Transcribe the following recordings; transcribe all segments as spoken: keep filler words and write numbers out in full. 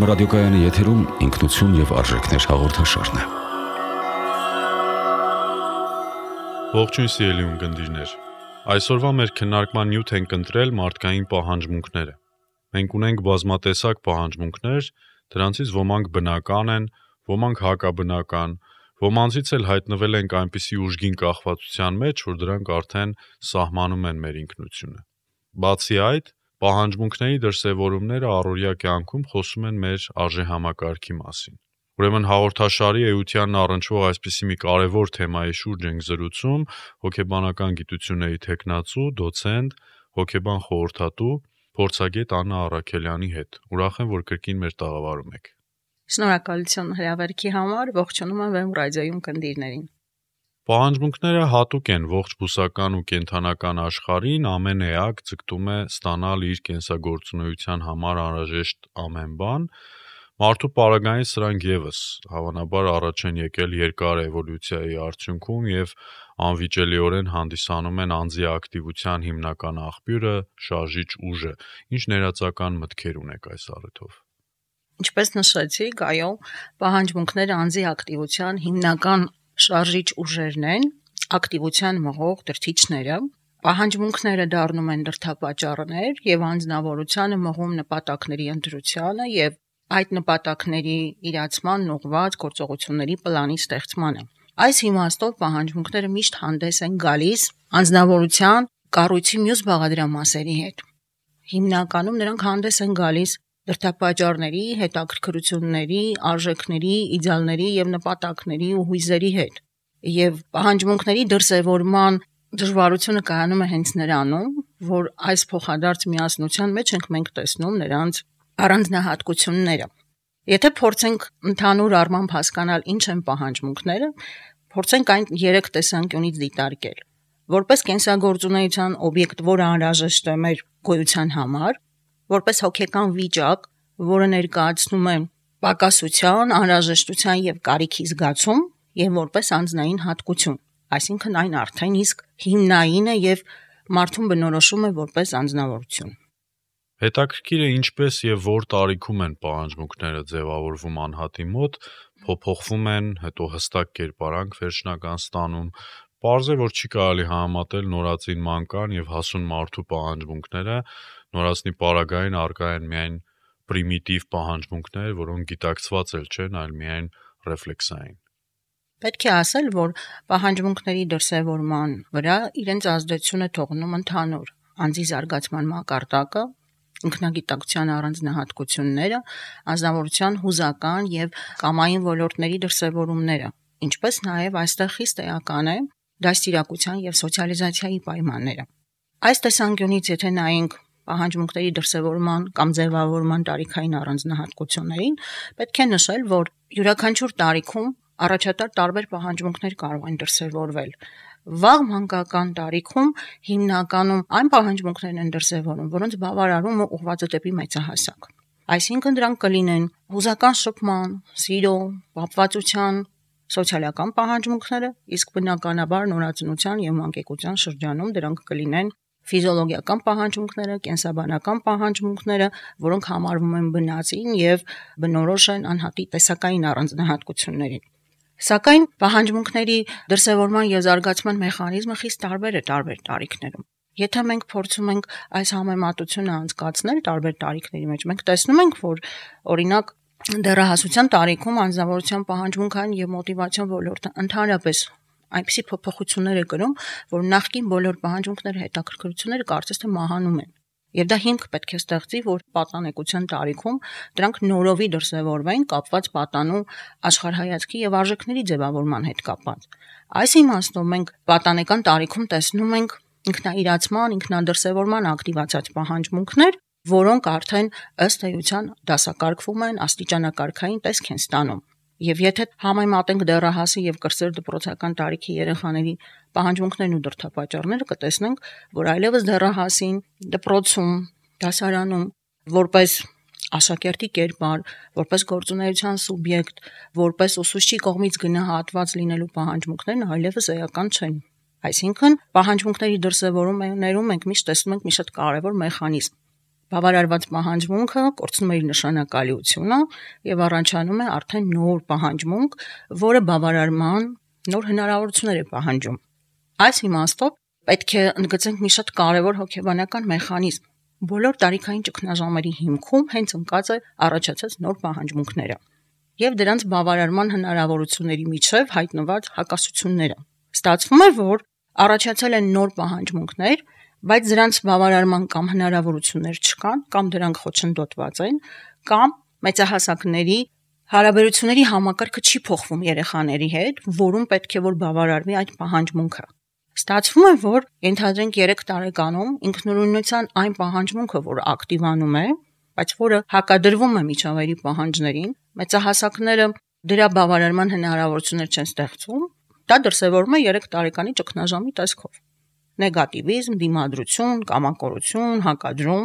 Երգորում ռադիոկայանի եթերում ինքնություն եւ արժեքներ հաղորդաշարն է։ Ողջույն սիրելի ունկնդիրներ։ Այսօրվա մեր քննարկման նյութ ենք ընտրել մարդկային պահանջմունքները։ Մենք ունենք բազմատեսակ պահանջմունքներ, դրանցից ոմանք բնական են, ոմանք հակաբնական, ոմանցից էլ հայտնվել ենք այնպիսի ուժգին կախվածության մեջ, որ դրանք արդեն սահմանում են մեր ինքնությունը։ Բացի այդ, պահանջմունքների դրսևորումները առօրյա կյանքում խոսում են մեր արժեհամակարգի մասին։ Ուրեմն հաղորդաշարի էությանն առնչվող այսպիսի մի կարևոր թեմայի շուրջ ենք զրուցում հոգեբանական գիտությունների թեկնածու, դոցենտ, հոգեբան խորհրդատու, փորձագետ Աննա Առաքելյանի հետ։ Ուրախ եմ, որ կրկին մեր տաղավարում եք։ Շնորհակալություն հրավերքի համար, ողջունում եմ Վեմ ռադիոյում կնդիրներին։ Պահանջմունքները հատուկ են ողջ բուսական ու կենդանական աշխարհին, ամեն էակ ձգտում է ստանալ իր կենսագործունեության համար անհրաժեշտ ամեն բան։ Մարդու պարագային սրանք եւս հավանաբար առաջ են եկել երկար էվոլյուցիայի արդյունքում եւ անվիճելիորեն հանդիսանում են անձի ակտիվության հիմնական աղբյուրը, շարժիչ ուժը, ինչ ներածական մտքեր ունեք այս առիթով։ Ինչպես նշեցիք, այո, պահանջմունքները անձի ակտիվության հիմնական շարժիչ ուժերն են, ակտիվության մղող դրդիչները։ Պահանջմունքները դառնում են դրդապատճառներ եւ անձնավորությանը մղում նպատակների ընտրությանը եւ այդ նպատակների իրացման ուղղված գործողությունների պլանի ստեղծմանը։ Այս իմաստով պահանջմունքները միշտ հանդես են գալիս անձնավորության կառույցի մյուս բաղադրամասերի հետ։ Հիմնականում նրանք հանդես են գալիս դրդապատճառների, հետաքրքրությունների, արժեքների, իդեալների եւ նպատակների ու հույզերի հետ։ Եվ պահանջմունքների դրսևորման դժվարությունը կայանում է հենց նրանում, որ այս փոխադարձ միասնության մեջ ենք մենք տեսնում նրանց առանձնահատկությունները։ Եթե փորձենք ընդհանուր առմամբ հասկանալ ինչ են պահանջմունքները, փորձենք այն երեք տեսանկյունից դիտարկել։ Որպես կենսագործունեության օբյեկտ, որը անհրաժեշտ է մեր գոյության համար, որպես հոգեկան վիճակ, որը ներկայացնում է պակասության, անհրաժեշտության եւ կարիքի զգացում, եւ որպես անձնային հատկություն, այսինքն այն արդեն իսկ հիմնային է եւ մարդուն բնորոշում է որպես անձնավորություն։ Հետաքրքիր է ինչպես եւ որ տարիքում են պահանջմունքները ձևավորվում անհատի մոտ, փոփոխվում են, հետո հստակ կերպարանք վերջնական ստանում։ Պարզ է, որ չի կարելի համեմատել նորածին մանկան եւ հասուն մարդու պահանջմունքները, նորածնի պարագային առկա են միայն պրիմիտիվ պահանջմունքներ, որոնք գիտակցված էլ չեն, այլ միայն ռեֆլեքսային։ Պետք է ասել, որ պահանջմունքների դրսևորման վրա իրենց ազդեցությունը թողնում ընդհանուր անձի զարգացման մակարդակը, ինքնագիտակցության առանձնահատկությունները, անձնավորության հուզական եւ կամային ոլորտների դրսևորումները, ինչպես նաեւ այստեղ խիստ էական է դաստիարակության եւ սոցիալիզացիայի պայմանները։ Այս տեսանկյունից եթե նայենք պահանջմունքների դրսևորման կամ ձևավորման տարիքային առանձնահատկություններին, պետք է նշել, որ յուրաքանչյուր տարիքում առաջատար տարբեր պահանջմունքներ կարող են դրսևորվել։ Վաղ մանկական տարիքում հիմնականում այն պահանջմունքներն են դրսևորում, որոնց բավարարումը ուղղված է դեպի մեծահասակ։ Այսինքն դրանք կլինեն հուզական շփման, սիրո, պապվածության, սոցիալական պահանջմունքները, իսկ բնականաբար նորածնության եւ մանկեկության շրջանում դրանք կլինեն ֆիզիոլոգիական պահանջմունքները, կենսաբանական պահանջմունքները, որոնք համարվում են բնածին եւ բնորոշ են անհատի տեսակային առանձնահատկություններին։ Սակայն պահանջմունքների դրսևորման եւ զարգացման մեխանիզմը խիստ տարբեր է տարբեր տարիքներում։ Եթե մենք փորձում ենք այս համեմատությունը անցկացնել տարբեր տարիքների մեջ, մենք տեսնում ենք, որ օրինակ դեռահասության տարիքում անձնավորության պահանջմունքային եւ մոտիվացիոն ոլորտը ընդհանրապես այնպիսի փոփոխություններ է կրում, որ նախկին բոլոր պահանջմունքները, հետաքրքրությունները կարծես թե մահանում են։ Եվ դա հիմք պետք է ստեղծի, որ պատանեկության տարիքում դրանք նորովի դրսևորվեն կապված պատանու աշխարհայացքի եւ արժեքների ձևավորման հետ կապված։ Այս իմաստով մենք պատանեկան տարիքում տեսնում ենք ինքնաիրացման, ինքնադրսևորման ակտիվացած պահանջմունքներ, որոնք արդեն ըստ էության դասակարգվում են, աստիճանակարգային տեսք են ստանում։ Եվ եթե համեմատենք դեռահասի եւ կրսեր դպրոցական տարիքի երեխաների պահանջմունքներն ու դրդապատճառները, կտեսնենք, որ այլևս դեռահասին դպրոցում, դասարանում որպես աշակերտի կերպար, որպես գործունեության սուբյեկտ, որպես ուսուցչի կողմից գնահատված լինելու պահանջմունքներն այլևս էական չեն։ Այսինքն պահանջմունքների դրսևորումներում մենք միշտ տեսնում ենք մի շատ կարևոր մեխանիզմ։ Բավարարված պահանջմունքը կորցնում է իր նշանակալիությունը եւ առաջանում է արդեն նոր պահանջմունք, որը բավարարման նոր հնարավորություններ է պահանջում։ Այս իմաստով պետք է ընդգծենք մի շատ կարևոր հոգեբանական մեխանիզմ։ Բոլոր տարիքային ճգնաժամերի հիմքում հենց ընկած է առաջացած նոր պահանջմունքները եւ դրանց բավարարման հնարավորությունների միջև հայտնված հակասությունները։ Ստացվում է, որ առաջացել են նոր պահանջմունքներ, բայց դրանց բավարարման կամ հնարավորություններ չկան, կամ դրանք խոչընդոտված են, կամ մեծահասակների հարաբերությունների համակարգը չի փոխվում երեխաների հետ, որում պետք է որ բավարարվի այդ պահանջմունքը։ Ստացվում է, որ ենթադրենք երեք տարեկանում ինքնուրույնության այն պահանջմունքը, որը ակտիվանում է, բայց որը հակադրվում է միջավայրի պահանջներին, մեծահասակները դրա բավարարման հնարավորություններ չեն ստեղծում, դա դրսևորվում է երեք տարեկանի ճգնաժամի տեսքով։ Նեգատիվիզմ, դիմադրություն, կամակորություն, հակադրում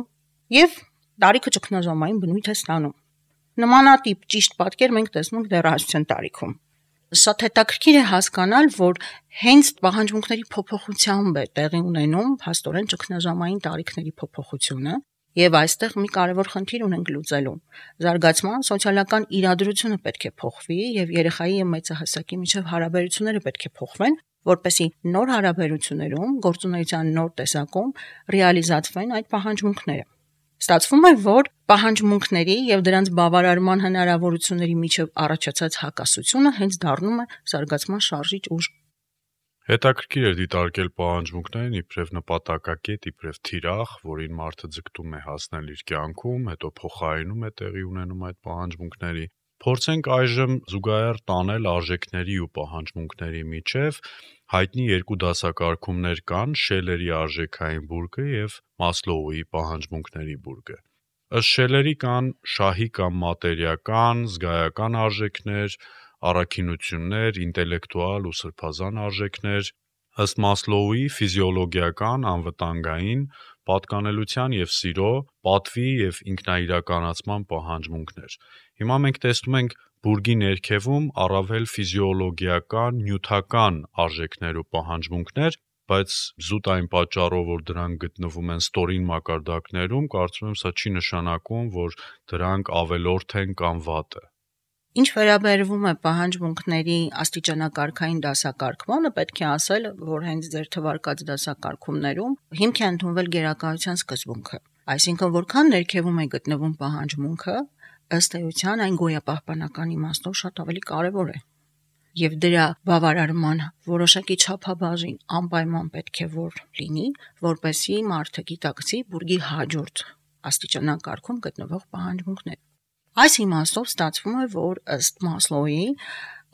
եւ տարիքը ճգնաժամային բնույթ է ստանում։ Նմանատիպ ճիշտ պատկեր մենք տեսնում ենք դեռահասության տարիքում։ Շատ հետաքրքիր է հասկանալ, որ հենց պահանջմունքների փոփոխությամբ է տեղի ունենում փաստորեն ճգնաժամային տարիքների փոփոխությունը, եւ այստեղ մի կարևոր խնդիր ունենք լուծելու։ Զարգացման սոցիալական իրադրությունը պետք է փոխվի եւ երեխայի եւ մեծահասակի միջև հարաբերությունները պետք է փոխվեն, որպեսզի նոր հարաբերություններում, գործունեության նոր տեսակում ռեալիզացվեն այդ պահանջմունքները։ Ստացվում է, որ պահանջմունքների եւ դրանց բավարարման հնարավորությունների միջև առաջացած հակասությունը հենց դառնում է զարգացման շարժիչ ուժ։ Հետաքրքիր է դիտարկել պահանջմունքներն իբրև նպատակակետ, իբրև թիրախ, որին մարդը ձգտում է հասնել իր կյանքում, հետո փոխարինում է տեղի ունենում այդ պահանջմունքների։ Փորձենք այժմ զուգահեռ տանել արժեքների ու պահանջմունքների միջև։ Հայտնի երկու դասակարգումներ կան՝ Շելերի արժեքային բուրգը եւ Մասլոուի պահանջմունքների բուրգը։ Ըստ Շելերի կան շահի կամ մատերիական, զգայական արժեքներ, առաքինություններ, ինտելեկտուալ ու սրբազան արժեքներ, ըստ Մասլոուի ֆիզիոլոգիական, անվտանգային, պատկանելության եւ սիրո, պատվի եւ ինքնաիրականացման պահանջմունքներ։ Հիմա մենք տեսնում ենք բուրգի ներքևում առավել ֆիզիոլոգիական, նյութական արժեքներ ու պահանջմունքներ, բայց զուտ այն պատճառով, որ դրանք գտնվում են ստորին մակարդակներում, կարծում եմ սա չի նշանակում, որ դրանք ավելորդ են կամ վատ է։ Ինչ վերաբերվում է պահանջմունքների աստիճանակարգային դասակարգմանը, պետք է ասել, որ հենց ձեր թվարկած դասակարգումներում հիմք է ընդունվել գերակայության սկզբունքը։ Այսինքն, որքան ներքևում է գտնվում պահանջմունքը, ըստ էության այն գոյապահպանական իմաստով շատ ավելի կարևոր է։ Եվ դրա բավարարման որոշակի չափաբաժին անպայման պետք է որ լինի, որպեսզի մարդը գիտակցի բուրգի հաջորդ աստիճանակարգում գտնվող պահանջմունքները։ Այս իմաստով ստացվում է, որ ըստ Մասլոուի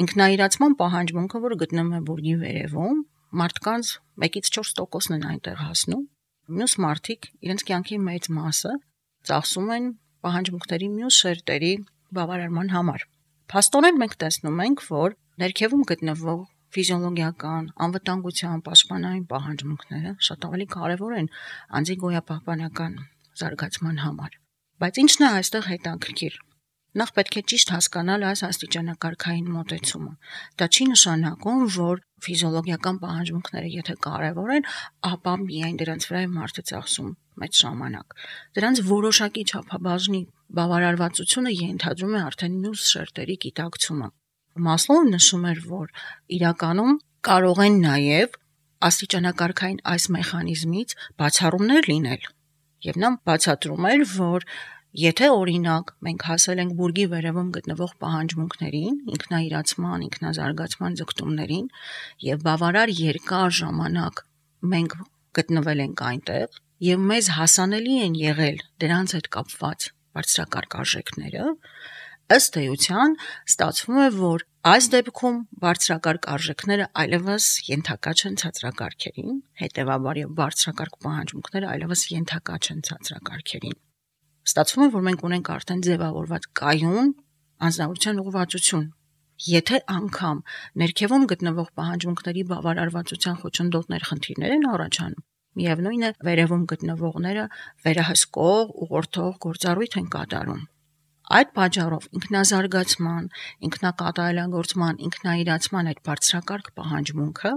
ինքնաիրացման պահանջմունքը, որը գտնվում է բուրգի վերևում, մարդկանց մեկից չորս տոկոսն են այնտեղ հասնում, մյուս մարդիկ իրենց կյանքի մեծ մասը ծախսում են պահանջմունքների մյուս շերտերի բավարարման համար։ Փաստորեն մենք տեսնում ենք, որ ներքևում գտնվող ֆիզիոլոգիական, անվտանգության, պաշտպանային պահանջմունքները շատ ավելի կարևոր են անձի գոյապահպանական զարգացման համար։ Բայց ի՞նչն է այստեղ հետաքրքիր։ Նախ պետք է ճիշտ հասկանալ այս աստիճանակարգային մոտեցումը։ Դա չի նշանակում, որ ֆիզիոլոգիական պահանջմունքները եթե կարևոր են, ապա միայն դրանց վրա է մարդը ծախսում մեծ ժամանակ։ Դրանց որոշակի չափաբաժնի բավարարվածությունը ենթադրում է արդեն մյուս շերտերի գիտակցումը։ Մասլոուն նշում էր, որ իրականում կարող են նաև աստիճանակարգային այս մեխանիզմից բացառումներ լինել։ Եվ նա բացատրում էր, որ եթե օրինակ մենք հասել ենք բուրգի վերևում գտնվող պահանջմունքներին, ինքնաիրացման, ինքնազարգացման ձգտումներին եւ բավարար երկար ժամանակ մենք գտնվել ենք այնտեղ եւ մեզ հասանելի են եղել դրանց հետ կապված բարձրակարգ արժեքները, ըստ էության ստացվում է, որ այս դեպքում բարձրակարգ արժեքները այլևս ենթակա չեն ցածրակարգերին, հետեւաբար եւ բարձրակարգ պահանջմունքները այլևս ենթակա չեն ցածրակարգերին։ Ստացվում է, որ մենք ունենք արդեն ձևավորված կայուն անձնավորության ուղղվածություն։ Եթե անգամ ներքևում գտնվող պահանջմունքների բավարարվածության խոչընդոտներ խնդիրներ են առաջանում, միևնույն է վերևում գտնվողները վերահսկող, ուղղորդող գործառույթ են կատարում։ Այդ պատճառով ինքնազարգացման, ինքնակատարելագործման, ինքնաիրացման այդ բարձրակարգ պահանջմունքը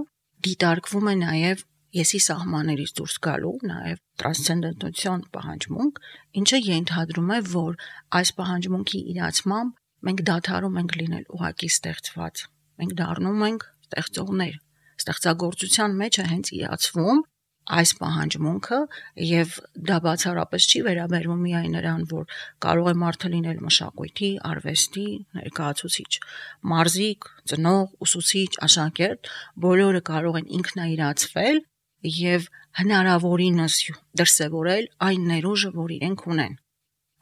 դիտարկվում է նաև եսի սահմաններից դուրս գալու, նաև տրանսցենդենտացիոն պահանջմունք, ինչը ենթադրում է, որ այս պահանջմունքի իրացմամբ մենք դադարում ենք լինել ուղակի ստեղծված, մենք դառնում ենք ստեղծողներ, ստեղծագործության մեջ է հենց իրացվում այս պահանջմունքը եւ դա բացառապես չի վերաբերվում միայն նրան, որ կարող է մարդը լինել մշակույթի, արվեստի ներկայացուցիչ, մարզիկ, ծնող, ուսուցիչ, աշակերտ, բոլորը կարող են ինքնաիրացվել եւ հնարավորինս դրսեւորել այն ներուժը, որ իրենք ունեն։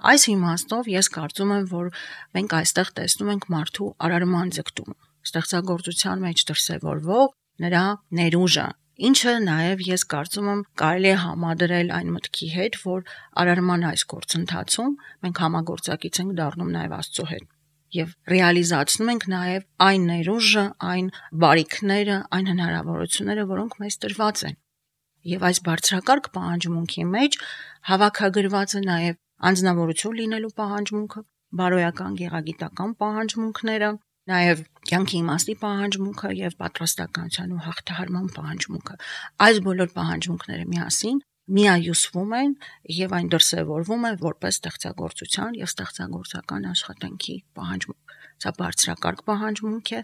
Այս իմաստով ես կարծում եմ, որ մենք այստեղ տեսնում ենք մարդու արարման ձգտումը, ստեղծագործության մեջ դրսեւորվող նրա ներուժը, ինչը նաև ես կարծում եմ կարելի է համադրել այն մտքի հետ, որ արարման այս գործընթացում մենք համագործակից ենք դառնում նաև Աստծո հետ եւ ռեալիզացնում ենք նաև այն ներուժը, այն բարիքները, այն հնարավորությունները, որոնք մեզ տրված են։ Եվ այս բարձրակարգ պահանջմունքի մեջ հավաքագրված է նաև անձնավորություն լինելու պահանջմունքը, բարոյական գեղագիտական պահանջմունքները, նաև կյանքի իմաստի պահանջմունքը եւ պատրաստականության ու հաղթահարման պահանջմունքը։ Այս բոլոր պահանջմունքները միասին միայուսվում են եւ այն դրսեւորվում է որպես ստեղծագործության եւ ստեղծագործական աշխատանքի պահանջմունք։ Սա բարձրակարգ պահանջմունք է,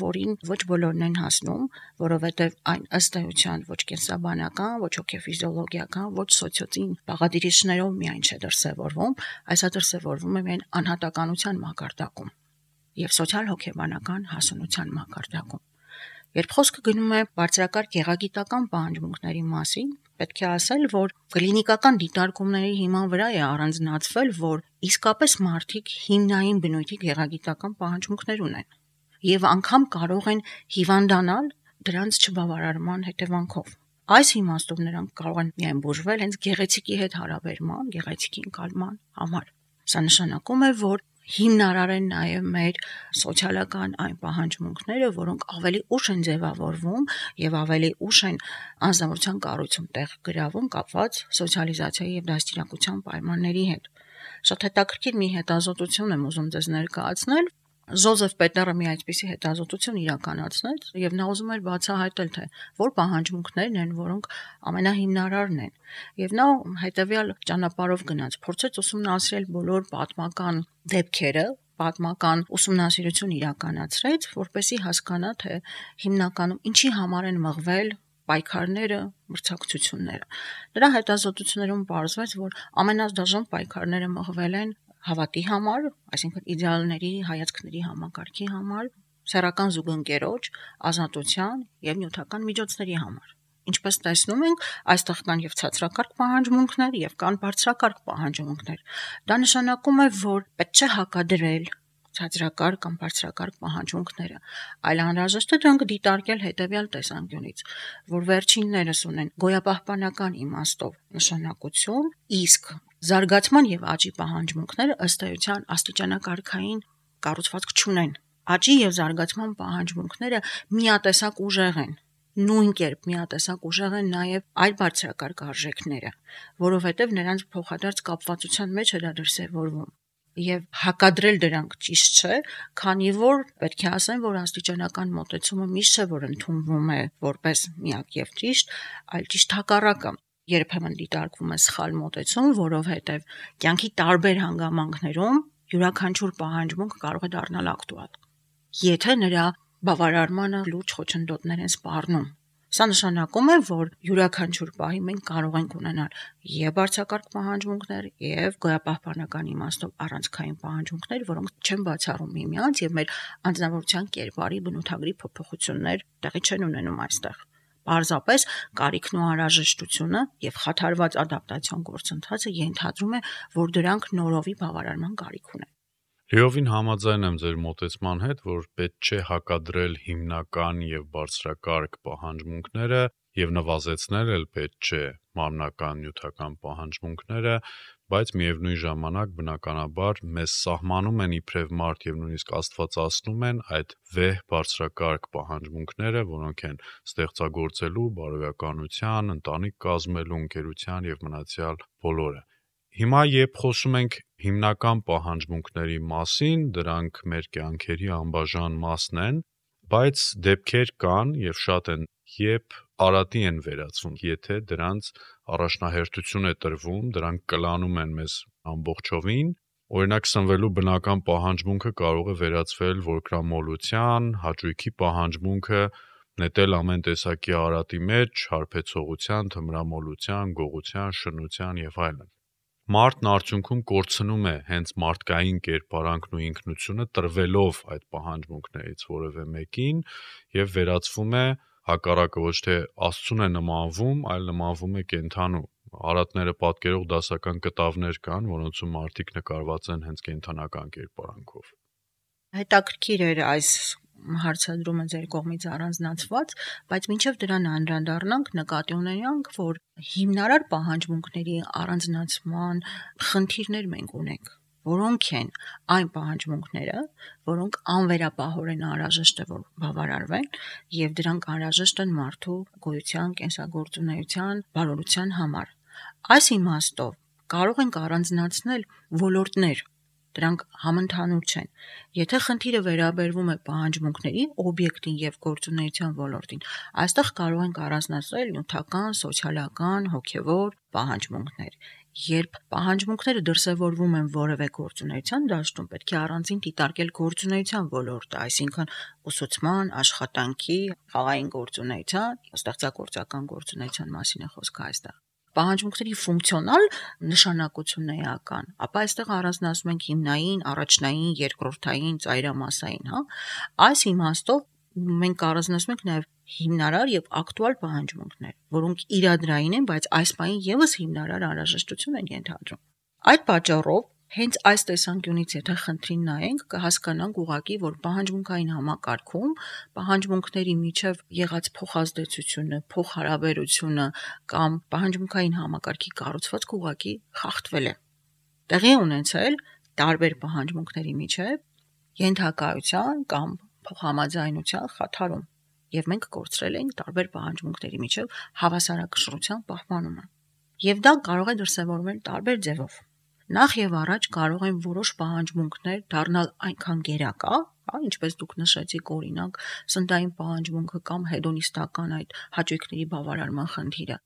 որին ոչ բոլորն են հասնում, որովհետեւ այն ըստ էության ոչ կենսաբանական, ոչ հոգեֆիզիոլոգիական, ոչ սոցիոծին բաղադրիչներով միայն չէ դրսեւորվում, այլ դրսեւորվում է միայն անհատականության մակարդակում եւ սոցիալ-հոգեբանական հասունության մակարդակում։ Երբ խոսքը գնում է բարձրակարգ գեղագիտական պահանջմունքների մասին, պետք է ասել, որ կլինիկական դիտարկումների հիման վրա է առանձնացվել, որ իսկապես մարդիկ հիմնային բնույթի գեղագիտական պահանջմունքներ ունեն եւ անգամ կարող են հիվանդանալ դրանց չբավարարման հետևանքով։ Այս իմաստով նրանք կարող են միայն բուժվել հենց գեղեցիկի հետ հարաբերման, գեղեցիկի ընկալման համար։ Սա նշանակում է, որ հիմնարար են նաև մեր սոցիալական այն պահանջմունքները, որոնք ավելի ուշ են ձևավորվում եւ ավելի ուշ են անձնավորության կառույցում տեղ գրավում կապված սոցիալիզացիայի եւ դաստիարակության պայմանների հետ։ Շատ հետաքրքիր մի հետազոտություն եմ ուզում ձեզ ներկայացնել։ Ժոզեֆ Պետերը մի այսպիսի հետազոտություն իրականացնեց եւ նա ուզում էր բացահայտել, թե որ պահանջմունքներն են, որոնք ամենահիմնարարն են։ Եվ նա հետեւյալ ճանապարհով գնաց, փորձեց ուսումնասիրել բոլոր պատմական դեպքերը, պատմական ուսումնասիրություն իրականացրեց, որպեսզի հասկանա, թե հիմնականում ինչի համար են մղվել պայքարները, մրցակցությունները։ Նրա հետազոտություններում պարզվեց, որ ամենադաժան պայքարները մղվել են հավատի համար, այսինքն իդեալների, հայացքների համակարգի համար, սեռական զուգընկերոջ, ազատության եւ նյութական միջոցների համար։ Ինչպես տեսնում ենք, այստեղ կան եւ ցածրակարգ պահանջմունքներ եւ կան բարձրակարգ պահանջմունքներ։ Դա նշանակում է, որ պետք չէ հակադրել ցածրակարգ կամ բարձրակարգ պահանջմունքները, այլ անհրաժեշտ է դրանք դիտարկել հետեւյալ տեսանկյունից, որ վերջիններս ունեն գոյապահպանական իմաստով նշանակություն, իսկ զարգացման եւ աճի պահանջմունքները ըստ էության աստիճանակարգային կառուցվածք չունեն։ Աճի եւ զարգացման պահանջմունքները միատեսակ ուժեղ են։ Նույն կերպ միատեսակ ուժեղ են նաեւ այլ բարձրակարգ արժեքները, որովհետեւ նրանց փոխադարձ կապվածության մեջ է դա դրսեւորվում։ Եվ հակադրել դրանք ճիշտ չէ, քանի որ պետք է ասեմ, որ աստիճանական մոտեցումը միշտ չէ, որ ընդունվում է որպես միակ եւ ճիշտ, այլ ճիշտ հակառակը։ Երբեմն դիտարկվում է սխալ մոտեցում, որովհետեւ կյանքի տարբեր հանգամանքներում յուրաքանչյուր պահանջմունք կարող է դառնալ ակտուալ, եթե նրա բավարարմանը լուրջ խոչընդոտներ են սպառնում։ Սա նշանակում է, որ յուրաքանչյուր պահի մենք կարող ենք ունենալ եւ բարձրակարգ պահանջմունքներ եւ գոյապահպանական իմաստով առանցքային պահանջմունքներ, որոնք չեն բացառում միմյանց եւ մեր անձնավորության կերպարի բնութագրի փոփոխություններ տեղի չեն ունենում այստեղ։ Պարզապես կարիքն ու անհրաժեշտությունը եւ խաթարված ադապտացիոն գործընթացը ենթադրում է, որ դրանք նորովի բավարարման կարիք ունեն։ Լիովին համաձայն եմ ձեր մոտեցման հետ, որ պետք չէ հակադրել հիմնական եւ բարձրակարգ պահանջմունքները եւ նվազեցնել էլ պետք չէ մարմնական նյութական պահանջմունքները, բայց միևնույն ժամանակ բնականաբար մեզ սահմանում են իբրև մարդ եւ նույնիսկ աստվածացնում են այդ վեհ բարձրակարգ պահանջմունքները, որոնք են ստեղծագործելու, բարոյականության, ընտանիք կազմելու, ընկերության եւ մնացյալ բոլորը։ Հիմա երբ խոսում ենք հիմնական պահանջմունքների մասին, դրանք մեր կյանքերի անբաժան մասն են, Բայց դեպքեր կան եւ շատ են, երբ արատի են վերածվում, եթե դրանց առաջնահերթություն է տրվում, դրանք կլանում են մեզ ամբողջովին, օրինակ սնվելու բնական պահանջմունքը կարող է վերածվել որկրամոլության, հաճույքի պահանջմունքը նետել ամեն տեսակի արատի մեջ, հարբեցողության, թմրամոլության, գողության, շնության եւ այլն։ Մարդն արդյունքում կորցնում է հենց մարդկային կերպարանքն ու ինքնությունը տրվելով այդ պահանջմունքներից որևէ մեկին եւ վերածվում է հակառակը ոչ թե Աստծուն է նմանվում, այլ նմանվում է կենդանու։ Արատները պատկերող դասական կտավներ կան, որոնցում մարդիկ նկարված են հենց կենդանական կերպարանքով։ Հետաքրքիր էր այս հարցադրումը ձեր կողմից առանձնացված, բայց մինչև դրան անդրադառնանք, նկատի ունենանք, որ հիմնարար պահանջմունքների առանձնացման խնդիրներ մենք ունենք, որոնք են այն պահանջմունքները, որոնք անվերապահորեն անհրաժեշտ է որ բավարարվեն, եւ դրանք անհրաժեշտ են մարդու գոյության, կենսագործունեության, բարօրության համար։ Այս իմաստով կարող ենք առանձնացնել ոլորտներ, դրանք համընդհանուր չեն։ Եթե խնդիրը վերաբերվում է պահանջմունքների օբյեկտին եւ գործունեության ոլորտին, այստեղ կարող ենք առանձնացնել նյութական, սոցիալական, հոգեվոր պահանջմունքներ։ Երբ պահանջմունքները դրսևորվում են որևէ գործունեության դաշտում, պետք է առանձին դիտարկել գործունեության ոլորտը, այսինքն ուսուցման, աշխատանքի, խաղային գործունեության, ստեղծագործական գործունեության մասին է խոսքը այստեղ։ Պահանջմունքների ֆունկցիոնալ նշանակությունն է էական, ապա այստեղ առանձնացնում ենք հիմնային, առաջնային, երկրորդային, ծայրամասային, հա։ Այս իմաստով մենք առանձնացնում ենք նաև հիմնարար եւ ակտուալ պահանջմունքներ, որոնք իրադրային են, բայց այս պահին եւս հիմնարար անհրաժեշտություն են ենթադրում։ Այդ պատճառով հենց այս տեսանկյունից եթե խնդրին նայենք, կհասկանանք ուղղակի, որ պահանջմունքային համակարգում պահանջմունքների միջև եղած փոխազդեցությունը, փոխհարաբերությունը կամ պահանջմունքային համակարգի կառուցվածքը ուղղակի խախտվել է։ Տեղի ունեցել տարբեր պահանջմունքների միջև ենթակայության կամ փոխհամաձայնության խաթարում, եւ մենք կորցրել ենք տարբեր պահանջմունքների միջև հավասարակշռության պահպանումը։ Եվ դա կարող է դրսևորվել տարբեր ձևով։ Նախ եւ առաջ կարող են որոշ պահանջմունքներ դառնալ այնքան գերակա, հա, ինչպես դուք նշեցիք, օրինակ, սննդային պահանջմունքը կամ հեդոնիստական այդ հաճույքների բավարարման խնդիրը,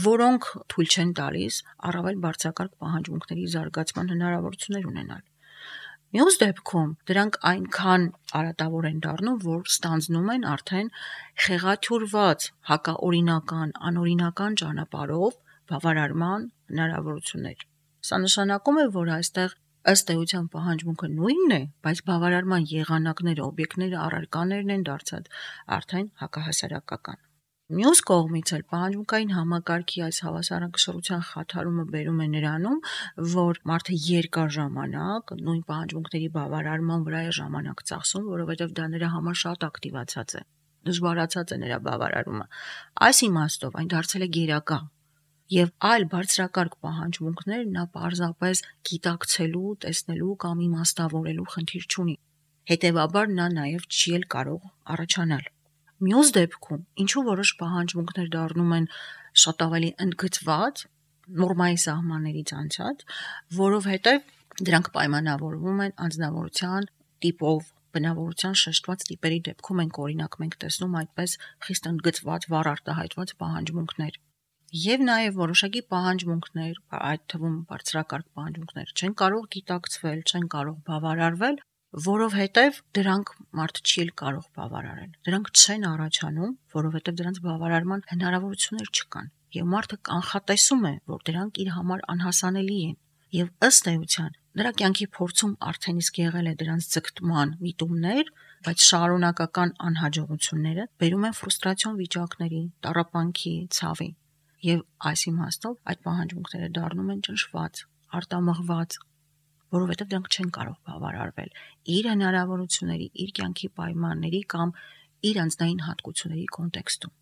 որոնք թույլ չեն տալիս առավել բարձրակարգ պահանջմունքների զարգացման հնարավորություններ ունենալ։ Մյուս դեպքում դրանք այնքան արատավոր են դառնում, որ ստանձնում են արդեն խեղաթյուրված հակաօրինական, անօրինական ճանապարհով բավարարման հնարավորություններ։ Սա նշանակում է, որ այստեղ ըստ էության պահանջմունքը նույնն է, բայց բավարարման եղանակները, օբյեկտները, առարկաներն են դարձած արդեն հակահասարակական։ Մյուս կողմից էլ պահանջմունքային համակարգի այս հավասարակշռության խաթարումը բերում է նրանում, որ մարդը երկար ժամանակ նույն պահանջմունքների բավարարման վրա է ժամանակ ծախսում, որովհետև դա նրա համար շատ ակտիվացած է, դժվարացած է նրա բավարարումը։ Այս իմաստով այն դարձել է գերակա, եւ այլ բարձրակարգ պահանջմունքներ նա պարզապես գիտակցելու, տեսնելու կամ իմաստավորելու խնդիր չունի։ Հետևաբար նա նաեւ չի էլ կարող առաջանալ։ Մյուս դեպքում, ինչու որոշ պահանջմունքներ դառնում են շատ ավելի ընդգծված, նորմայի սահմաններից անցած, որովհետև դրանք պայմանավորվում են անձնավորության տիպով, բնավորության շեշտված տիպերի դեպքում ենք օրինակ մենք տեսնում այդպես խիստ ընդգծված, վառ արտահայտված պահանջմունքներ։ Եվ նաև որոշակի պահանջմունքներ, այդ թվում բարձրակարգ պահանջմունքներ չեն կարող գիտակցվել, չեն կարող բավարարվել, որովհետև դրանք մարդը չի էլ կարող բավարարել։ Դրանք չեն առաջանում, որովհետև դրանց բավարարման հնարավորություններ չկան։ Եվ մարդը կանխատեսում է, որ դրանք իր համար անհասանելի են։ Եվ ըստ էության նրա կյանքի փորձում արդեն իսկ եղել է դրանց ձգտման միտումներ, բայց շարունակական անհաջողությունները բերում են ֆրուստրացիոն վիճակների, տառապանքի, ցավի։ Եվ այս իմաստով այդ պահանջմունքները դառնում են ճնշված, արտամղված, որովհետև դրանք չեն կարող բավարարվել իր հնարավորությունների, իր կյանքի պայմանների կամ իր անձնային հատկությունների կոնտեքստում։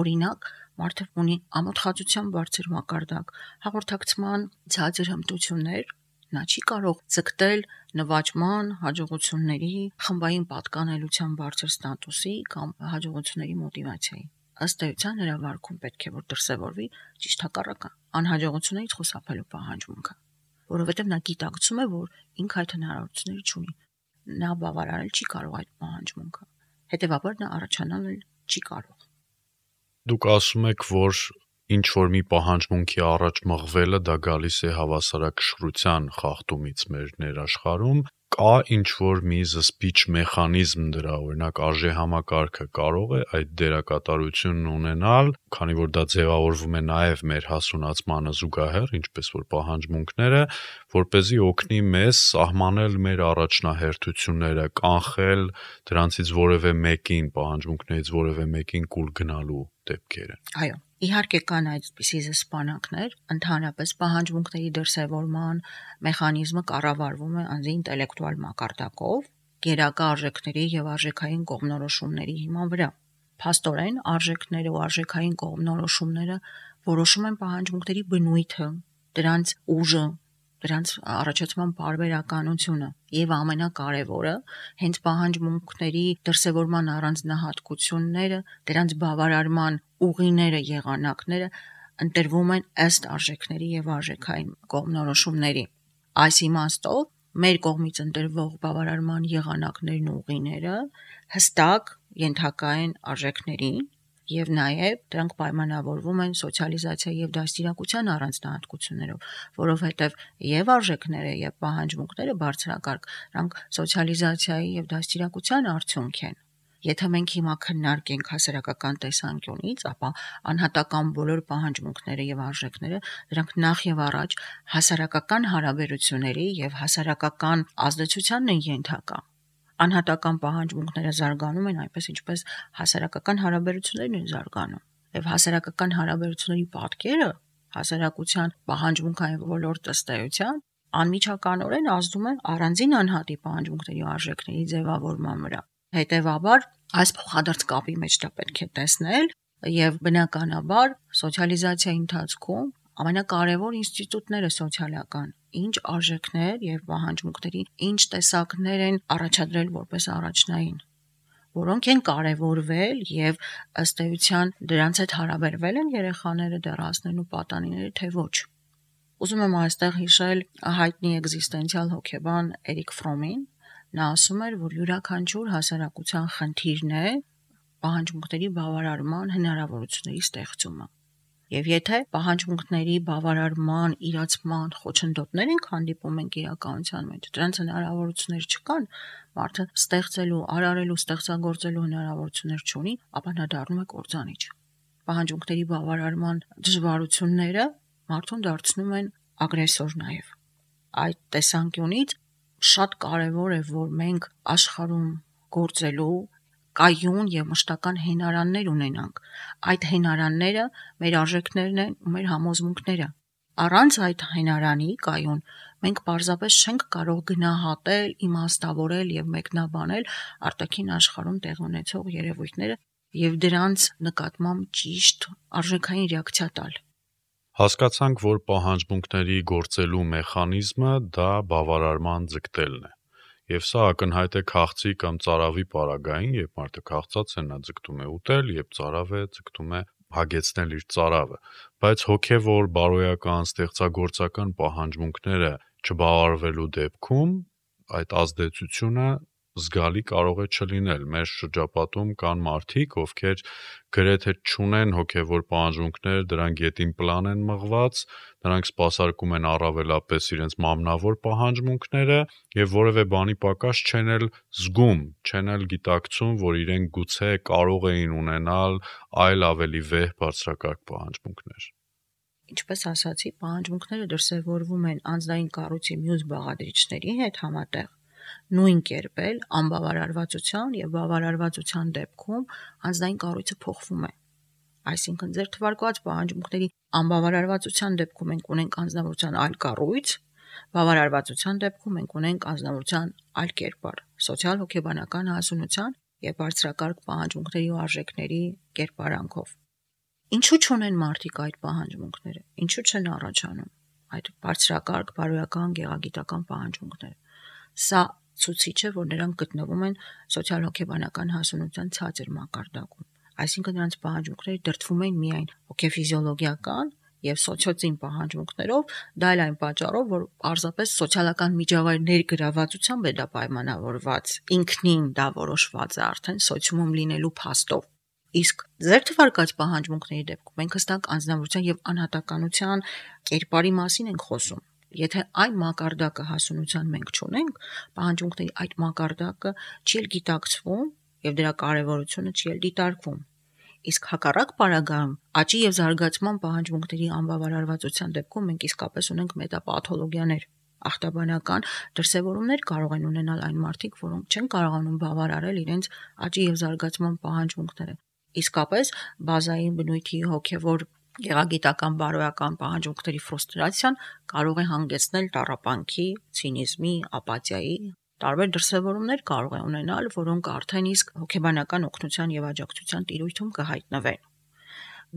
Օրինակ, մարդը ունի ամոթխածության բարձր մակարդակ, հաղորդակցման ցածր հմտություններ, նա չի կարող ձգտել նվաճման, հաջողությունների, խմբային պատկանելության բարձր ստատուսի կամ հաջողությունների մոտիվացիայի։ Ըստ էության նրա վարքում պետք է որ դրսևորվի ճիշտ հակառակը, անհաջողություններից խուսափելու պահանջմունքը, որովհետև նա գիտակցում է, որ ինքը այդ հնարավորությունները չունի։ Նա բավարարել չի կարող այդ պահանջմունքը։ հետևաբար նա առաջանալ չի կարող։ Դուք ասում եք, որ ինչ որ մի պահանջմունքի առաջ մղվելը դա գալիս է հավասարակշռության խախտումից մեր ներաշխարհում, կա ինչ որ մի զսպիչ մեխանիզմ դրա, օրինակ արժե համակարգը կարող է այդ դերակատարությունն ունենալ, քանի որ դա ձևավորվում է նաև մեր հասունացմանը զուգահեռ, ինչպես որ պահանջմունքները, որպեսզի օգնի մեզ սահմանել մեր առաջնահերթությունները, կանխել դրանցից որևէ մեկին, պահանջմունքներից որևէ մեկին կուլ գնալու դեպքերը։ Այո, իհարկե կան այդպիսի զսպանակներ, ընդհանրապես պահանջմունքների դրսևորման մեխանիզմը կառավարվում է անձի ինտելեկտուալ մակարդակով, գերակա արժեքների եւ արժեքային կողմնորոշումների հիման վրա։ Փաստորեն, արժեքները ու արժեքային կողմնորոշումները որոշում են պահանջմունքների բնույթը, դրանց ուժը, դրանց առաջացման պարբերականությունը եւ ամենակարևորը, հենց պահանջմունքների դրսևորման առանձնահատկությունները, դրանց բավարարման ուղիները, եղանակները ընտրվում են ըստ արժեքների եւ արժեքային կողմնորոշումների։ Այս իմաստով մեր կողմից ընտրվող բավարարման եղանակներն ու ուղիները հստակ ենթակա են արժեքներին եւ նաեւ դրանք պայմանավորվում են սոցիալիզացիայի եւ դաստիարակության առանձնահատկություններով, որովհետեւ եւ արժեքները եւ պահանջմունքները բարձրակարգ դրանք սոցիալիզացիայի եւ դաստիարակության արդյունք են։ Եթե մենք հիմա քննարկենք հասարակական տեսանկյունից, ապա անհատական բոլոր պահանջմունքները եւ արժեքները դրանք նախ եւ առաջ հասարակական հարաբերությունների եւ հասարակական ազդեցությանն են ենթակա։ Անհատական պահանջմունքները զարգանում են այնպես, ինչպես հասարակական հարաբերություններն են զարգանում։ Եվ հասարակական հարաբերությունների պատկերը հասարակության պահանջմունքային ոլորտը ըստ էության անմիջականորեն ազդում է առանձին անհատի պահանջմունքների ու արժեքների ձևավորման վրա։ Հետևաբար, այս փոխադարձ կապի մեջ դա պետք է տեսնել եւ բնականաբար սոցիալիզացիայի ընթացքում ամենակարևոր ինստիտուտները սոցիալական, ինչ արժեքներ եւ պահանջմունքների ինչ տեսակներ են առաջադրել որպես առաջնային, որոնք են կարևորվել եւ ըստ էության դրանց հետ հարաբերվել են երեխաները, դեռահասներն ու պատանիները, թե ոչ։ Ուզում եմ այստեղ հիշել հայտնի էգզիստենցիալ հոգեբան Էրիկ Ֆրոմին։ Նա ասում էր, որ յուրաքանչյուր հասարակության խնդիրն է պահանջմունքների բավարարման հնարավորությունների ստեղծումը։ Եվ եթե պահանջմունքների բավարարման, իրացման խոչընդոտներ ենք հանդիպում ենք իրականության մեջ, դրանց հնարավորություններ չկան, մարդը ստեղծելու, արարելու, ստեղծագործելու հնարավորություններ չունի, ապա նա դառնում է կործանիչ։ Պահանջմունքների բավարարման դժվարությունները մարդուն դարձնում են ագրեսոր նաև։ Այդ տեսանկյունից շատ կարևոր է, որ մենք աշխարհում գործելու կայուն եւ մշտական հենարաններ ունենանք։ Այդ հենարանները մեր արժեքներն են ու մեր համոզմունքները։ Առանց այդ հենարանի կայուն մենք պարզապես չենք կարող գնահատել, իմաստավորել եւ մեկնաբանել արտաքին աշխարհում տեղի ունեցող երևույթները եւ դրանց նկատմամբ ճիշտ արժեքային ռեակցիա տալ։ Հասկացանք, որ պահանջմունքների գործելու մեխանիզմը դա բավարարման ձգտելն է։ Եվ սա ակնհայտ է քաղցի կամ ծարավի պարագային, երբ մարդը քաղցած է, նա ձգտում է ուտել, երբ ծարավ է, ձգտում է հագեցնել իր ծարավը, բայց հոգևոր, բարոյական, ստեղծագործական պահանջմունքները չբավարարվելու դեպքում այդ ազդեցությունը զգալի կարող է չլինել։ Մեր շրջապատում կան մարդիկ, ովքեր գրեթե չունեն հոգևոր պահանջմունքներ, դրանք ետին պլան են մղված, նրանք սպասարկում են առավելապես իրենց մամնավոր պահանջմունքները եւ որևէ բանի պակաս չեն էլ զգում, չեն էլ գիտակցում, որ իրենք գուցե կարող էին ունենալ այլ ավելի վեհ բարձրակարգ պահանջմունքներ։ Ինչպես ասացի, պահանջմունքները դրսևորվում են անձնային կառույցի մյուս բաղադրիչների հետ համատեղ։ Նույն կերպ էլ անբավարարվածության եւ բավարարվածության դեպքում անձնային կառույցը փոխվում է։ Այսինքն ձեր թվարկված պահանջմունքների անբավարարվածության դեպքում մենք ունենք անձնավորության այլ կառույց, բավարարվածության դեպքում մենք ունենք անձնավորության այլ կերպար, սոցիալ-հոգեբանական հասունության եւ բարձրակարգ պահանջմունքների ու արժեքների կերպարանքով։ Ինչու չունեն մարդիկ այդ պահանջմունքները։ Ինչու չեն առաջանում այդ բարձրակարգ, բարոյական, գեղագիտական պահանջմունքները։ Սա ցուցիչ է, որ նրանք գտնվում են սոցիալ-հոգեբանական հասունության ցածր մակարդակում։ Այսինքն նրանց պահանջմունքները դրդվում են միայն հոգեֆիզիոլոգիական եւ սոցիոծին պահանջմունքներով, դա էլ այն պատճառով, որ պարզապես սոցիալական միջավայրների գրավվածությամբ է դա պայմանավորված, ինքնին դա որոշված է արդեն սոցիումում լինելու փաստով։ Իսկ ձեր թվարկած պահանջմունքների դեպքում մենք հստակ անձնավորության եւ անհատականության կերպարի մասին ենք խոսում։ Եթե այն մակարդակը հասունության մենք չունենք, պահանջմունքների այդ մակարդակը չի էլ գիտակցվում եւ դրա կարեւորությունը չի էլ դիտարկվում։ Իսկ հակառակ պարագայում աճի եւ զարգացման պահանջմունքների անբավարարվածության դեպքում մենք իսկապես ունենք մետապաթոլոգիաներ։ Ախտաբանական դրսևորումներ կարող են ունենալ այն մարդիկ, որոնք չեն կարողանում բավարարել իրենց աճի եւ զարգացման պահանջմունքները։ Իսկապես բազային բնույթի հոգեվոր գեղագիտական բարոյական պահանջմունքների ֆրուստրացիան կարող է հանգեցնել տառապանքի, ցինիզմի, ապաթիայի, տարբեր դրսևորումներ կարող է ունենալ, որոնք արդեն իսկ հոգեբանական օգնության եւ աջակցության տիրույթում կհայտնվեն։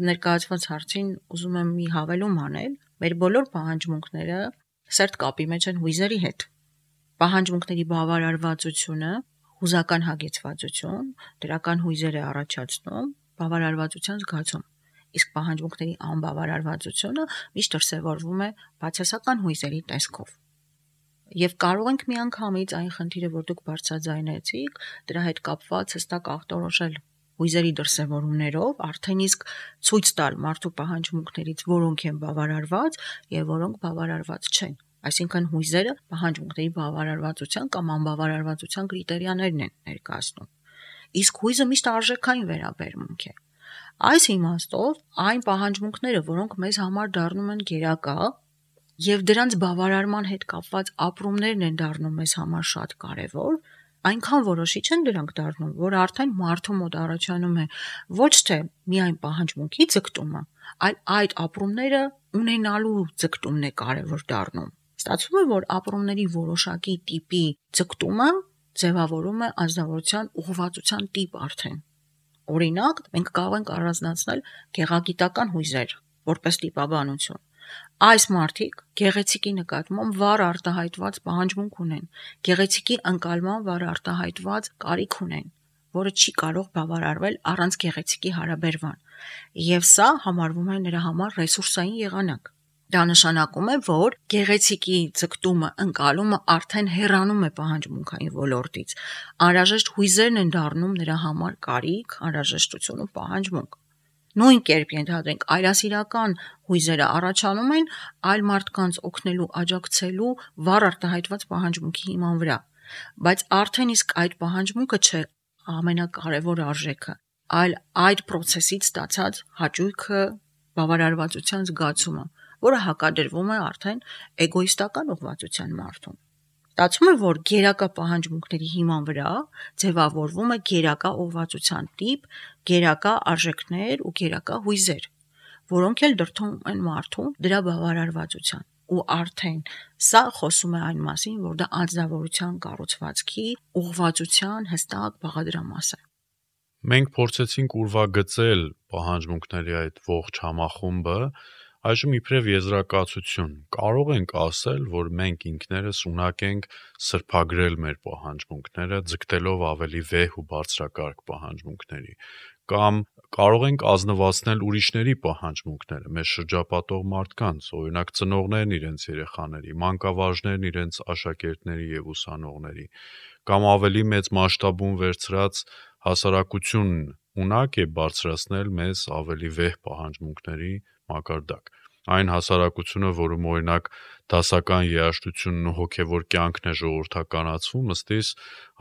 Ներկայացված հարցին ուզում եմ մի հավելում անել, մեր բոլոր պահանջմունքները սերտ կապի մեջ են հույզերի հետ։ Պահանջմունքների բավարարվածությունը հուզական հագեցվածություն, դրական հույզեր է առաջացնում բավարարվածության զգացում, իսկ պահանջմունքների անբավարարվածությունը միշտ դրսևորվում է բացասական հույզերի տեսքով։ Եվ կարող ենք միանգամից այն խնդիրը, որ դուք բարձրաձայնեցիք, դրա հետ կապված հստակ ախտորոշել հույզերի դրսևորումներով, արդեն իսկ ցույց տալ մարդու պահանջմունքներից, որոնք են բավարարված եւ որոնք բավարարված չեն։ Այսինքն հույզերը պահանջմունքների բավարարվածության կամ անբավարարվածության կրիտերիաներն են ներկայացնում։ Իսկ հույզը միշտ արժեքային վերաբերմունք է։ Այս իմաստով այն պահանջմունքները, որոնք մեզ համար դառնում են գերակա, եւ դրանց բավարարման հետ կապված ապրումներն են դառնում մեզ համար շատ կարեւոր, այնքան որոշիչ են դրանք դառնում, որ արդեն մարդու մոտ առաջանում է ոչ թե միայն պահանջմունքի ձգտումը, այլ այդ ապրումները ունենալու ձգտումն է կարեւոր դառնում։ Ստացվում է, որ ապրումների որոշակի տիպի ձգտումը ձևավորում է անձնավորության ուղղվածության տիպ արդեն։ Օրինակ, մենք կարող ենք առանձնացնել գեղագիտական հույզեր որպես տիպաբանություն։ Այս մարդիկ գեղեցիկի նկատմամբ վառ արտահայտված պահանջմունք ունեն, գեղեցիկի ընկալման վառ արտահայտված կարիք ունեն, որը չի կարող բավարարվել առանց գեղեցիկի հարաբերման, եւ սա համարվում է նրա համար ռեսուրսային եղանակ։ Դա նշանակում է, որ գեղեցիկի ձգտումը, ընկալումը արդեն հեռանում է պահանջմունքային ոլորտից։ Անհրաժեշտ հույզերն են դառնում նրա համար կարիք, անհրաժեշտություն ու պահանջմունք։ Նույն կերպ ենթադրենք այլասիրական հույզերը առաջանում են այլ մարդկանց օգնելու, աջակցելու վառ արտահայտված պահանջմունքի հիման վրա, բայց արդեն իսկ այդ պահանջմունքը չէ ամենակարևոր արժեքը, այլ այդ process-ից ստացած հաճույքը, բավարարվածության զգացումը, որը հակադրվում է արդեն էգոիստական ուղղվածության մարդուն։ Ստացվում է, որ գերակա պահանջմունքների հիման վրա ձևավորվում է գերակա ուղղվածության տիպ, գերակա արժեքներ ու գերակա հույզեր, որոնք էլ դրդում են մարդուն դրա բավարարվածության։ Ու արդեն սա խոսում է այն մասին, որ դա անձնավորության կառուցվածքի ուղղվածության հստակ բաղադրամաս է։ Մենք փորձեցինք ուրվագծել պահանջմունքների այդ ողջ համախումբը, այժմ իբրև եզրակացություն կարող ենք ասել, որ մենք ինքներս ունակ ենք սրբագրել մեր պահանջմունքները, ձգտելով ավելի վեհ ու բարձրակարգ պահանջմունքների, կամ կարող ենք ազնվացնել ուրիշների պահանջմունքները, մեզ շրջապատող մարդկանց, օրինակ ծնողներն իրենց երեխաների, մանկավարժներն իրենց աշակերտների եւ ուսանողների, կամ ավելի մեծ մասշտաբում վերցրած հասարակությունն ունակ է բարձրացնել մեզ ավելի վեհ պահանջմունքների մակարդակ։ Այն հասարակությունը, որում օրինակ դասական երաժշտությունն ու հոգևոր կյանքն է ժողովրդականացվում, ըստիս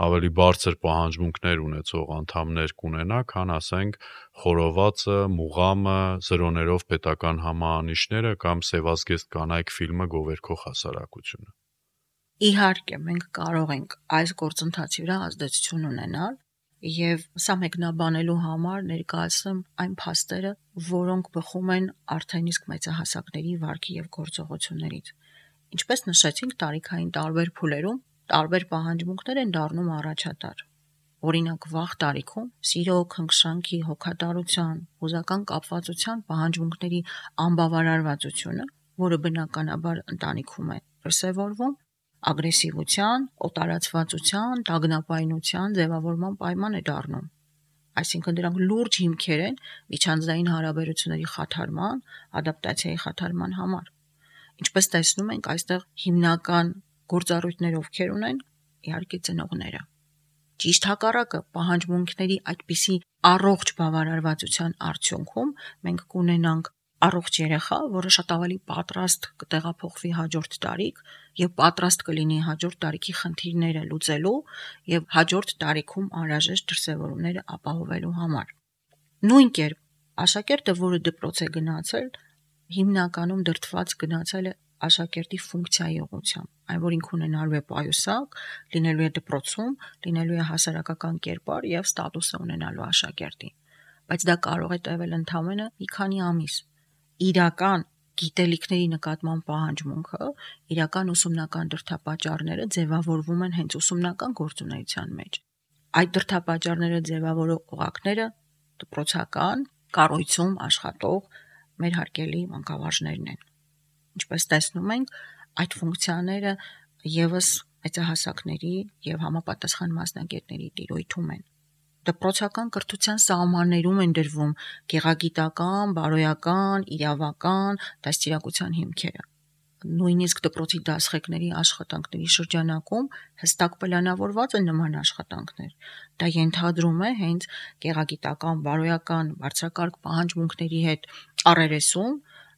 ավելի բարձր պահանջմունքներ ունեցող անդամներ կունենա, քան ասենք խորովածը, մուղամը, զրոներով պետական համահանիչները կամ Սևազգեստ կանայք ֆիլմը գովերքող հասարակությունը։ Իհարկե, մենք կարող ենք այս գործընթացի վրա ազդեցություն ունենալ, եւ սա մեկնաբանելու համար ներկայացնեմ այն փաստերը, որոնք բխում են արդեն իսկ մեծահասակների վարքի եւ գործողություններից։ Ինչպես նշեցինք, տարիքային տարբեր փուլերում տարբեր պահանջմունքներ են դառնում առաջատար։ Օրինակ, վաղ տարիքում սիրո, քնքշանքի, հոգատարության, հուզական կապվածության պահանջմունքների անբավարարվածությունը, որը բնականաբար ընտանիքում է դրսևորվում, ագրեսիվության, օտարացվածության, տագնապայնության ձևավորման պայման է դառնում։ Այսինքն դրանք լուրջ հիմքեր են միջանձնային հարաբերությունների խաթարման, ադապտացիայի խաթարման համար։ Ինչպես տեսնում ենք, այստեղ հիմնական գործառույթներ ովքեր ունեն, իհարկե ծնողները։ Ճիշտ հակառակը, պահանջմունքների այդպիսի առողջ բավարարվածության արդյունքում մենք կունենանք առողջ երեխա, որը շատ ավելի պատրաստ կտեղափոխվի հաջորդ տարիք եւ պատրաստ կլինի հաջորդ տարիքի խնդիրները լուծելու եւ հաջորդ տարիքում անհրաժեշտ դրսևորումները ապահովելու համար։ Նույն կերպ աշակերտը, որը դպրոց է գնացել, հիմնականում դրդված գնացել է աշակերտի ֆունկցիայի ուղղությամբ, այն որ ինքը ունենալու է պայուսակ, լինելու է դպրոցում, լինելու է հասարակական կերպար եւ ստատուս ունենալու աշակերտի, բայց դա կարող է տևել ընդամենը մի քանի ամիս։ Իրական գիտելիքների նկատմամբ պահանջմունքը, իրական ուսումնական դրդապատճառները ձևավորվում են հենց ուսումնական գործունեության մեջ։ Այդ դրդապատճառները ձևավորող օղակները դպրոցական կառույցում աշխատող մեր հարգելի մանկավարժներն են։ Ինչպես տեսնում ենք, այդ ֆունկցիաները եւս մեծահասակների եւ համապատասխան մասնագետների տիրույթում են։ Դպրոցական կրթության սահմաններում են դրվում գեղագիտական, բարոյական, իրավական, դաստիարակության հիմքերը։ Նույնիսկ դպրոցի դասղեկների աշխատանքների շրջանակում հստակ պլանավորված են նման աշխատանքներ։ Դա ենթադրում է հենց գեղագիտական, բարոյական, բարձրակարգ պահանջմունքների հետ առերեսում,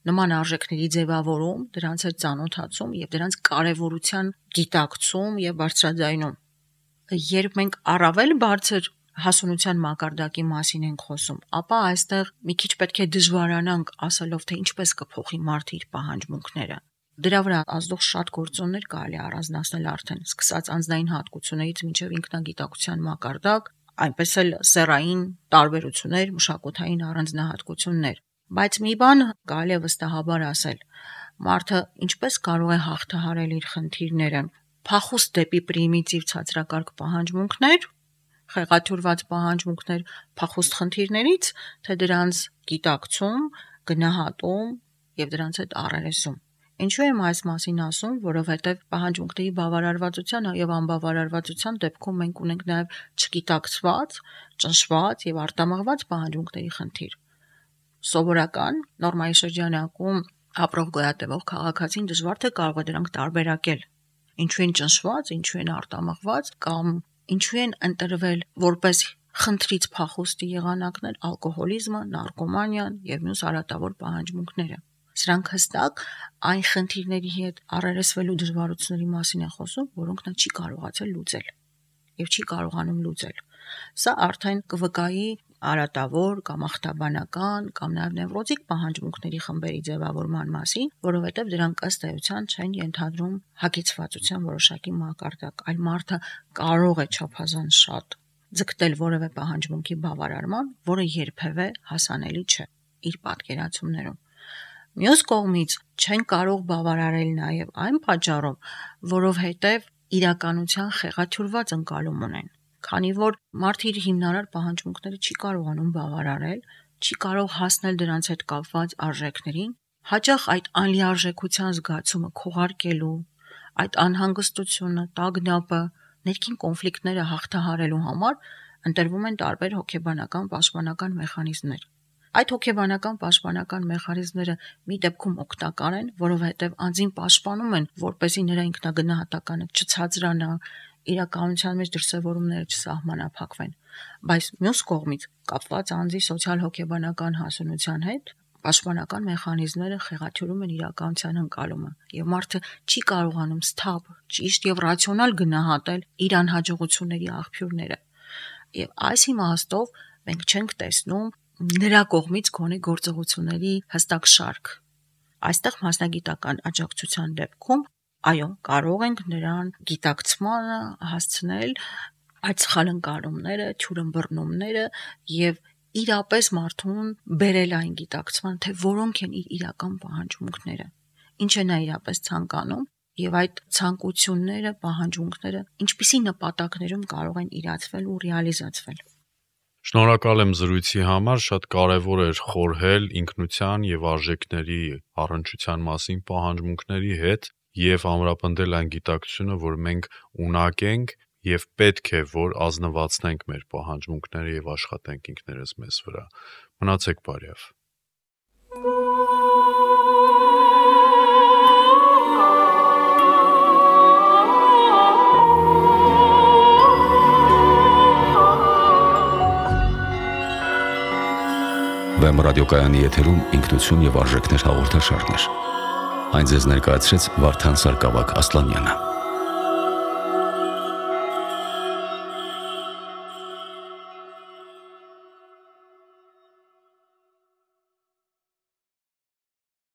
նման արժեքների ձևավորում, դրանց հետ ծանոթացում եւ դրանց կարեւորության գիտակցում եւ բարձրաձայնում։ Երբ մենք առավել բարձր հասունության մակարդակի մասին ենք խոսում, ապա այստեղ մի քիչ պետք է դժվարանանք ասելով, թե ինչպես կփոխի մարդը իր պահանջմունքները։ Դրա վրա ազդող շատ գործոններ կարելի առանձնացնել արդեն, սկսած անձնային հատկություններից մինչև ինքնագիտակցության մակարդակ, այնպես էլ սեռային տարբերություններ, մշակութային առանձնահատկություններ։ Բայց մի բան կարելի է վստահաբար ասել. մարդը ինչպես կարող է հաղթահարել իր խնդիրները, փախուստ դեպի պրիմիտիվ ցածրակարգ պահանջմունքներ, խեղաթյուրված պահանջմունքներ փախուստ խնդիրներից, թե դրանց գիտակցում, գնահատում եւ դրանց հետ առերեսում։ Ինչու եմ այս մասին ասում, որովհետեւ պահանջմունքների բավարարվածության եւ անբավարարվածության դեպքում մենք ունենք նաեւ չգիտակցված, ճնշված եւ արտամղված պահանջմունքների խնդիր։ Սովորական նորմայի շրջանակում ապրող գոյատևող քաղաքացին դժվար թե կարող է դրանք տարբերակել։ Ինչու են ճնշված, ինչու են արտամղված կամ ինչու են ընտրվել որպես խնդրից փախուստի եղանակներ ալկոհոլիզմը, նարկոմանիան եւ մյուս արատավոր պահանջմունքները։ Սրանք հստակ այն խնդիրների հետ առերեսվելու դժվարությունների մասին է խոսում, որոնք նա չի կարողացել լուծել եւ չի կարողանում լուծել։ Սա արդեն կվկայի արատավոր կամ ախտաբանական կամ նաև նևրոտիկ պահանջմունքների խմբերի ձևավորման մասին, որովհետև դրանք ըստ էության չեն ենթադրում հագեցվածության որոշակի մակարդակ, այլ մարդը կարող է չափազանց շատ ձգտել որևէ պահանջմունքի բավարարման, որը երբևէ հասանելի չէ իր պատկերացումներում։ Մյուս կողմից չեն կարող բավարարել նաև այն պատճառով, որովհետև իրականության խեղաթյուրված ընկալում ունեն, քանի որ մարդը իր հիմնարար պահանջմունքները չի կարողանում բավարարել, չի կարող հասնել դրանց հետ կապված արժեքներին, հաճախ այդ անլիարժեքության զգացումը քողարկելու, այդ անհանգստությունը, տագնապը, ներքին կոնֆլիկտները հաղթահարելու համար ընտրվում են տարբեր հոգեբանական պաշտպանական մեխանիզմներ։ Այդ հոգեբանական պաշտպանական մեխանիզմները մի դեպքում օգտակար են, որովհետև անձին պաշտպանում են, որպեսզի նրա ինքնագնահատականը չցածրանա, իրականության մեջ դրսևորումները չսահմանափակվեն, բայց մյուս կողմից կապված անձի սոցիալ-հոգեբանական հասունության հետ պաշտպանական մեխանիզմները խեղաթյուրում են իրականության ընկալումը, եւ մարդը չի կարողանում սթափ, ճիշտ եւ ռացիոնալ գնահատել իր անհաջողությունների աղբյուրները։ Եվ այս իմաստով մենք չենք տեսնում նրա կողմից գոնե գործողությունների հստակ շարք։ Այստեղ մասնագիտական աջակցության դեպքում այո, կարող ենք նրան գիտակցմանը հասցնել այդ սխալընկալումները, թյուրըմբռնումները եւ իրապես մարդուն բերել այն գիտակցման, թե որոնք են իր իրական պահանջմունքները, ինչ է նա իրապես ցանկանում եւ այդ ցանկությունները, պահանջմունքները ինչպիսի նպատակներում կարող են իրացվել ու ռեալիզացվել։ Շնորհակալ եմ զրույցի համար, շատ կարևոր էր խորհել ինքնության եւ արժեքների առնչության մասին պահանջմունքների հետ եւ ամրապնդել այն գիտակցությունը, որ մենք ունակ ենք եւ պետք է, որ ազնվացնենք մեր պահանջմունքները եւ աշխատենք ինքներս մեզ վրա։ Մնացեք բարյավ։ Վեմ ռադիոկայանի եթերում ինքնություն եւ արժեքներ հաղորդաշարներ։ Այն ձեզ ներկայացրեց Վարդան Սարգսակ Ասլանյանը։